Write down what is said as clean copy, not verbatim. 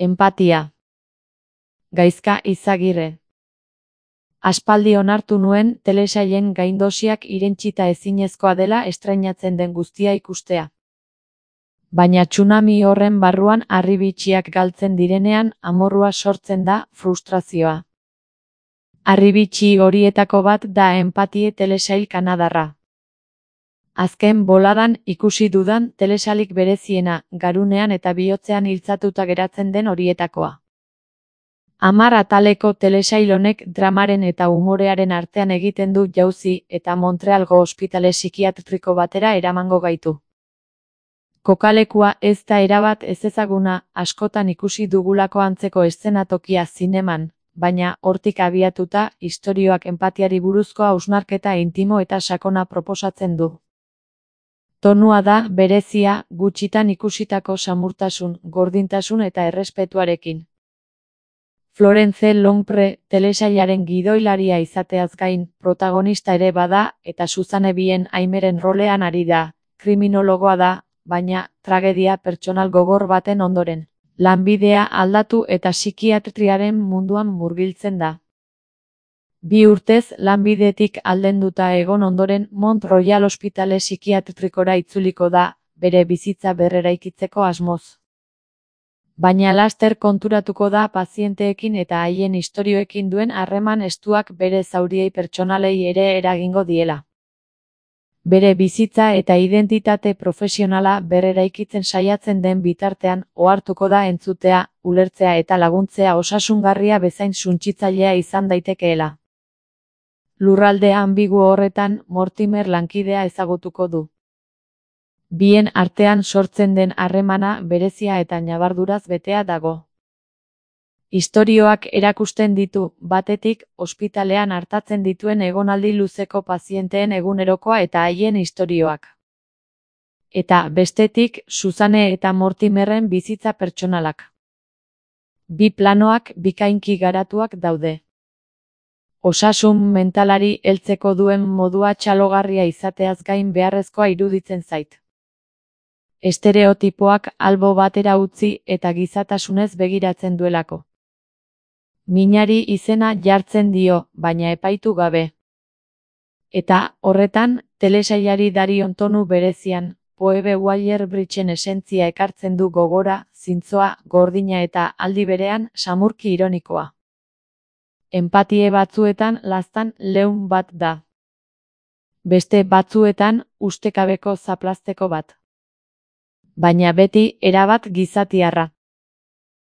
Enpatia. Gaizka Izagirre. Aspaldi onartu nuen telesailen gaindosiak irentsita ezinezkoa dela estreinatzen den guztia ikustea. Baina tsunami horren barruan harribitxiak galtzen direnean amorrua sortzen da, frustrazioa. Harribitxi horietako bat da Enpatie telesail kanadarra. Azken boladan ikusi dudan telesailik bereziena, garunean eta bihotzean iltzatuta geratzen den horietakoa. 10 ataleko telesail honek dramaren eta umorearen artean egiten du jauzi eta Montrealgo ospitale psikiatriko batera eramango gaitu. Kokalekua ez da erabat ezezaguna, askotan ikusi dugulako antzeko eszenatokia zineman, baina hortik abiatuta istorioak enpatiari buruzko hausnarketa intimo eta sakona proposatzen du. Tonua da berezia, gutxitan ikusitako samurtasun, gordintasun eta errespetuarekin. Florence Longpre telesailaren gidoilaria izateaz gain, protagonista ere bada eta Suzanne Bien Aimeren rolean ari da, kriminologoa da, baina tragedia pertsonal gogor baten ondoren. Lanbidea aldatu eta psikiatriaren munduan murgiltzen da. 2 urtez lanbidetik aldenduta egon ondoren Mont Royal ospitale psikiatrikora itzuliko da, bere bizitza berreraikitzeko asmoz. Baina laster konturatuko da pazienteekin eta haien istorioekin duen harreman estuak bere zauriei pertsonalei ere eragingo diela. Bere bizitza eta identitate profesionala berreraikitzen saiatzen den bitartean ohartuko da entzutea, ulertzea eta laguntzea osasungarria bezain suntsitzailea izan daitekeela. Lurralde anbigu horretan Mortimer lankidea ezagutuko du. Bien artean sortzen den harremana berezia eta ñabarduraz betea dago. Istorioak erakusten ditu, batetik, ospitalean artatzen dituen egonaldi luzeko pazienteen egunerokoa eta haien istorioak. Eta, bestetik, Suzanne eta Mortimerren bizitza pertsonalak. 2 planoak bikainki garatuak daude. Osasun mentalari heltzeko duen modua txalogarria izateaz gain beharrezkoa iruditzen zait. Estereotipoak albo batera utzi eta gizatasunez begiratzen duelako. Minari izena jartzen dio, baina epaitu gabe. Eta, horretan, telesailari darion tonu berezian, Phoebe Waller-Bridgen esentzia ekartzen du gogora, zintzoa, gordina eta aldi berean samurki ironikoa. Enpatie batzuetan laztan leun bat da. Beste batzuetan ustekabeko zaplazteko bat. Baina beti erabat gizatiarra.